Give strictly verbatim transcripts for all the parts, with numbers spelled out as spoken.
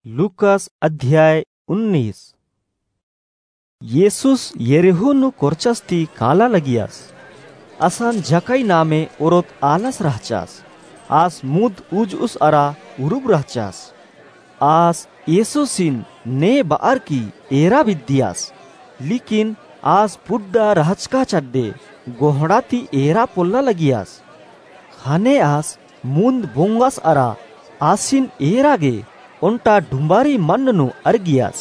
लूकास अध्याय उन्नीस। येसुस यरीहो नू कोरचस ती काला लगियस। असन जक्कई नामे ओरोत आलस रहचस। आस मुद उजुस अरा उरुब रहचस। आस येसुसिन ने बअर की एरा बिद्दियस। लेकिन आस पुड्डा रहचका चड्डे गोहड़ा ती एरा पोल्ला लगियस। ख़ने आस मुन्द बोंगस अरा आसिन एरा गे ओन्टा डुम्बारी मन्न नू अरगियस।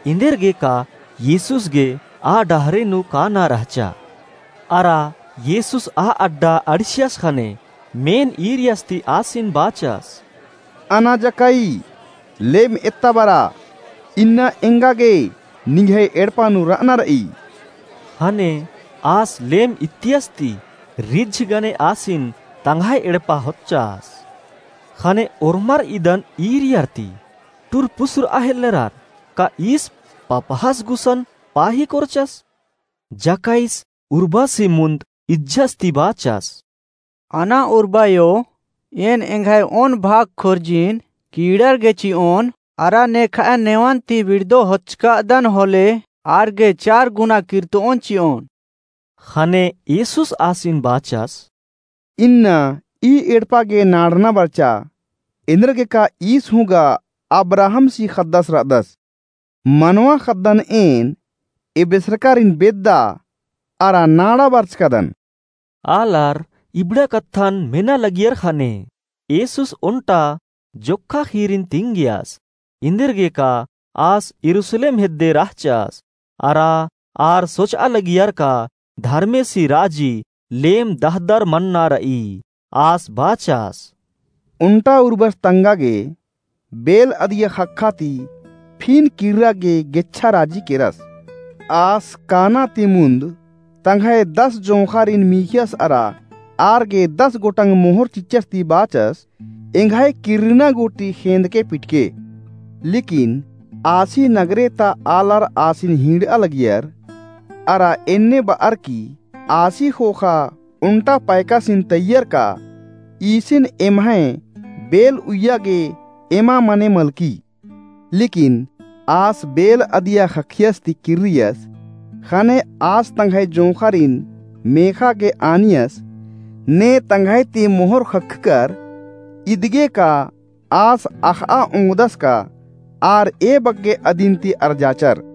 एन्देरगेका येसुस गे आ डहरे नू काना रहचा। अरा येसुस आ अड्डा अंड़सियस ख़ने मेन ईरियस ती आसिन बाचस, "अना जक्कई, लेम एत्ता बरा, इन्ना एंगा गे निंग्है एड़पा नू रअना रई।" ख़ने आस लेम इत्तियस ती रिझ गने आसिन तंग्है एड़पा होच्चस। ख़ने ओर्मर इदन ईरियर ती टुरपुसुर अहेल्लरर, का ईस पपहस गुसन पाही कोरचस? जक्कईस उर्बसी मुन्द इज्जस ती बाचस, "अना उर्बायो, एन एंग्है ओन भाग खोर्जिन कीड़र गे चिओन, अरा नेखय नेवन ती बिड़दो होचकादन होले आर गे चार गुना किर्तोन चिओन।" ख़ने येसुस आसिन बाचस, "इन्ना ई एड़पा गे नाड़ना बरचा, एन्देरगेका ईस हूँ गा अब्राहमसी ख़द्दस रअदस। मनवा ख़द्दन एन एबेसरकारिन बेद्दा अरा नाड़ा बरचकादन।" आलर इबड़ा कत्थन मेना लगियर ख़ने येसुस ओन्टा जोक्खा ख़ीरिन तिंगियस। एन्देरगेका आस यरूसलेम हेद्दे रहचस। अरा आर सोचआ लगियर का धर्मेसी राजी लेम दहदर मन्ना रई। आस बाचस, ओन्टा उर्बस तंगा गे बेल अदिया ख़क्खा ती फिन किर्रा गे गेच्छा राजी केरस। आस काना ती मुन्द तंग्है दस जोंख़ारिन मीख़ियस अरा आर गे दस गोटंग मोहर चिच्चस ती बाचस, एंग्है किर्रना गूटी ख़ेंदके पिटके। लेकिन आसी नगरे ता आलर आसिन हिंड़आ लगियर, अरा एन्ने बअर की आसी ख़ोख़ा ओन्टा पैकासिन तैयर का, ईसिन एम्है बेल उइया गे एमा मने मलकी। लेकिन आस बेल अदिया ख़क्खियस ती किर्रियस, ख़ने आस तंग्है जोंख़ारिन मेख़ा गे आनियस, ने तंग्है ती मोहर ख़क्खकर, इदगे का आस अख़आ ओंगदस का आर ए बग्गे अदिन ती अरजाचर।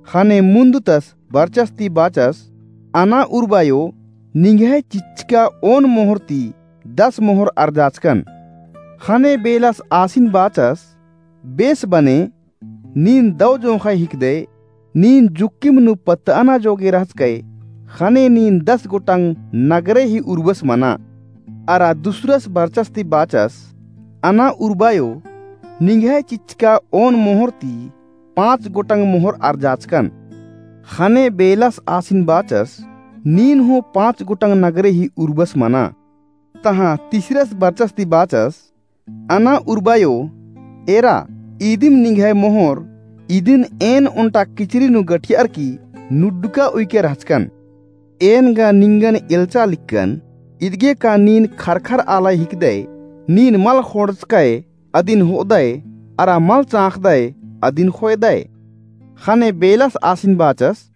ख़ने मुन्दतस बरचस ती बाचस, अना उर्बायो, निंग्है चिच्चका ओन मोहर ती दस मोहर अरजाचकन। ख़ने बेलस आसिन बाचस, बेस बने, नीन दौ जोंख़य हिकदय, नीन जुक्किम नू पत्तअना जोगे रहचकय, ख़ने नीन दस गोटंग नगरे ही उर्बस मना। अरा दुसरस बरचस ती बाचस, अना उर्बायो, निंग्है चिच्चका ओन मोहर ती पाँच गोटंग मोहर अरजाचकन। ख़ने बेलस आसिन बाचस, नीन हूँ पाँच गोटंग नगरे ही उर्बस मना। तहाँ तीसरस बरचस ती बाचस, अना उर्बायो, एरा, इदिम निंग्है मोहर, इदिन एन ओन्टा किचरी नू गठियर की नुड्डका उइके रहचकन। एन गा निंगन एल्चा लिक्कन, इदगे का नीन खरखर आलय हिकदय, नीन मल ख़ोंड़चकय, अदिन होअदय, अरा मल चाँख़दय, अदिन ख़ोयदय। ख़ने बेलस आसिन बाचस,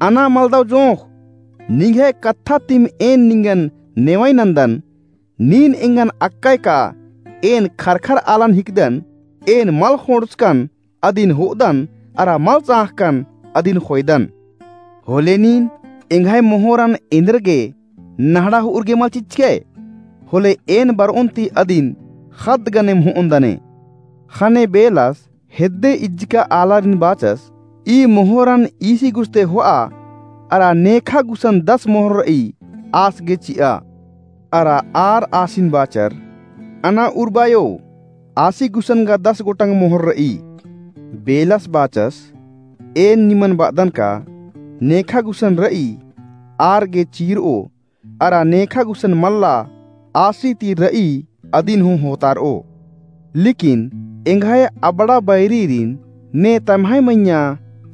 अना मलदव जोंख़, निंग्है कत्था तिम एन निंगन नेवई नन्दन, नीन एंगन अक्कय का एन खरखर आलन हिकदन, एन मल ख़ोंड़चकन अदिन होअदन, अरा मल चाँख़कन अदिन ख़ोयदन। होले नीन एंग्है मोहरन एन्देरगे नहड़ा होअर गे मल चिच्चकय, होले एन बरओन ती अदिन ख़द्द गनेम होओन दने। ख़ने बेलस हेद्दे इज्जका आलारिन बाचस, ई मोहरन ईसी गुस्ते होआ, अरा नेखा गुसन दस मोहर रई, आस गे चिआ। अरा आर आसिन बाचर, अना उर्बायो, आसी गुसन गा दस गोटंग मोहर रई। बेलस बाचस, एन निमन बअदन का, नेखा गुसन रई, आर गे चीरओ, अरा नेखा गुसन मल्ला, आसी ती रई अदिन हूँ होतारओ। लेकिन एंग्है अबड़ा बैरीरिन ने तम्है मइय्याँ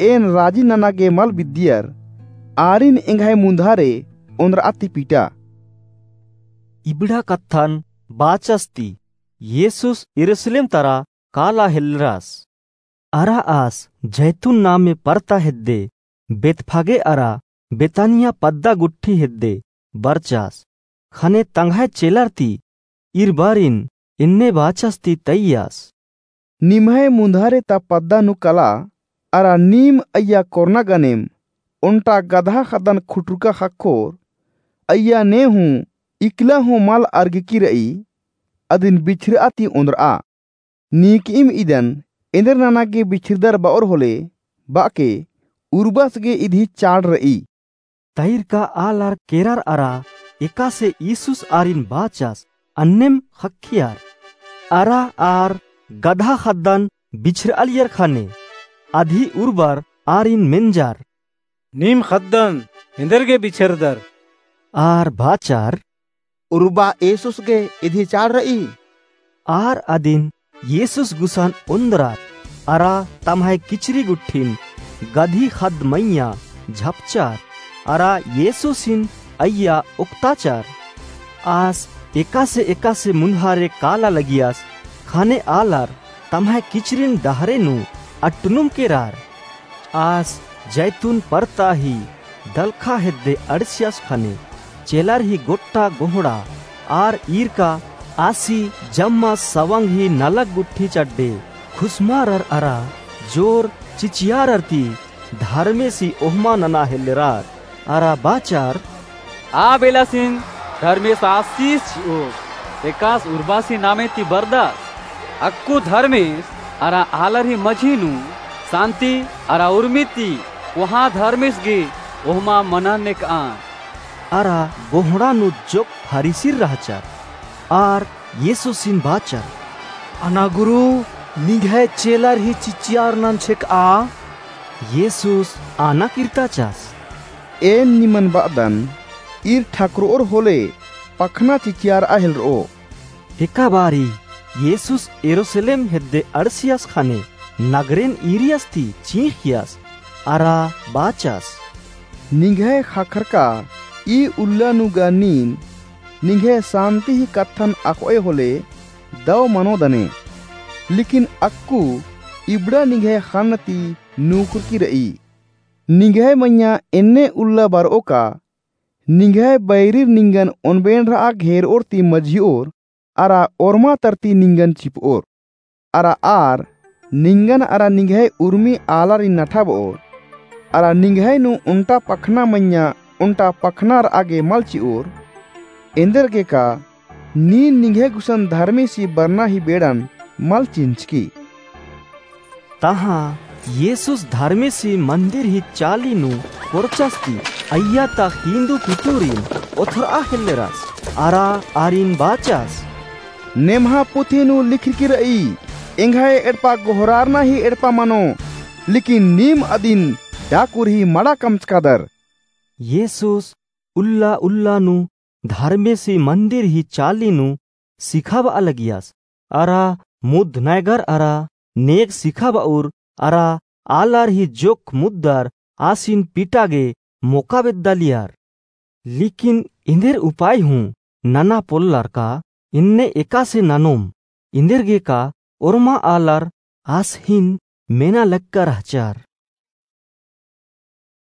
एन राजी नना गे मल बिद्दियर, आरिन एंग्है मुन्धारे ओन्द्रआ ती पीटा। इबड़ा कत्थन बाचस ती येसुस यरूसलेम तरा काला हेल्लरस। अरा आस जैतून नामे परता हेद्दे बेतफागे अरा बेतानिया पद्दा गुट्ठी हेद्दे बरचास। ख़ने तंग्है चेलर ती ईर बारिन एन्ने बाचस ती तैयास। निम्है मुन्धारे ता पद्दा नू कला, अरा नीम अइय्या कोरना गनेम ओन्टा गदहा ख़द्दन खुटुरका ख़क्खोर, अइय्या ने हूँ इकला हूँ मल अरगकी र'ई, अदिन बिछर'आ ती ओन्द्र'आ। नीकइम इदन एन्देर नना गे बिछरदर ब'ओर होले, ब'अके उर्बस गे इदी चाड़ र'ई। तैरका आलर केरर अरा एकासे यीसुस आरिन बाचस अन्नेम ख़क्खियर। अरा आर गदहा ख़द्दन बिछर'आलियर ख़ने अदी उर्बर आरिन मेंजर। नीम ख़द्दन एन्देर गे बिछरदर? आर बाचर। उर्बा यीसुस गे इदी चाड़ र'ई। आर अदिन यीसुस गुसन ओन्द्रर, अरा तम्है किचरी गुट्ठिन गदही ख़द्द मइय्याँ झपचर, अरा यीसुसिन अइय्या ओक्ताचर। आस एकासे एकासे मुन्धारे काला लगियस, ख़ने आलर तम्है किचरिन डहरे नू अट्टनुम केरर। आस जैतून परता ही दलखा हेद्दे अंड़सियस ख़ने चेलर ही गोट्टा गोहड़ा आर ईरका आसी जम्मा सवंग ही नलख गुट्ठी चड्डे खुसमारर अरा जोर चिचियारर ती धर्मेसी ओहमा नना हेल्लरर अरा बाचर। आ बेलासिन धर्मेस आसिस चि'ओस, एकास उर्बासी नामे ती बरदस। अक्कु धर्मेस अरा आलर ही मझी नू सांति अरा उर्मी ती कोहाँ धर्मेस गे ओहमा मनर नेक'आ। अरा गोहड़ा नू जोक्क फरीसिर रहचर। आर यीसुसिन बाचर। अना गुरु, निंग्है चेलर ही चिचियार नंछेक'आ। यीसुस आना किर्ताचस। एन निमन ब'अदन, ईर ठकर'ओर होले पखना चिचियार'आ हेल्लर'ओ। एका बारी यीसुस यरूसलेम हेद्दे अंड़सियस ख़ने नगरेन ईरियस ती चींख़ियस अरा बाचस। निंग्है ख़क्खरका ई उल्ला नू गा नीन निंग्है सांति ही कत्थन अख़ोय होले दव मनो दने। लेकिन अक्कु इबड़ा निंग्है ख़न्न ती नूखुरकी र'ई। निंग्है मइय्याँ एन्ने उल्ला बर'ओ का, निंग्है बैरिर निंगन ओनबेंड़र'आ घेर'ओर ती मझि'ओर, अरा ओर्मा तरती निंगन चिप'ओर। अरा आर निंगन अरा निंग्है उर्मी आलारिन नठाब'ओर, अरा निंग्है नू ओन्टा पखना मइय्याँ ओन्टा पखना र'आ गे मल चि'ओर। एन्देर गे का नीन निंग्है गुसन धर्मेसी बरना ही बेड़न मल चिन्चकी। तहाँ यीसुस धर्मेसी मन्दिर ही चाली नू कोरचस ती अइय्या ता हिन्दु कुटुरिन ओथर'आ हेल्लरस अरा आरिन बाचस। नेम्हा पुथी नू लिखरकी र'ई, एंग्है एड़पा गोहरारना ही एड़पा मनो, लेकिन नीम अदिन डाकुर ही मड़ा कमचकादर। यीसुस उल्ला उल्ला नू धर्मेसी मन्दिर ही चाली नू सिखाब'आ लगियस। अरा मुद्द नैगर अरा नेग सिखाब'उर अरा आलर ही जोक्क मुद्दर आसिन पीटा गे मोका बेद्दालियर। लेकिन एन्देर उपाय हूँ नना पोल्लर का एन्ने एकासे ननोम, एन्देर गे का ओर्मा आलर आस हिन मेना लक्का रहचर।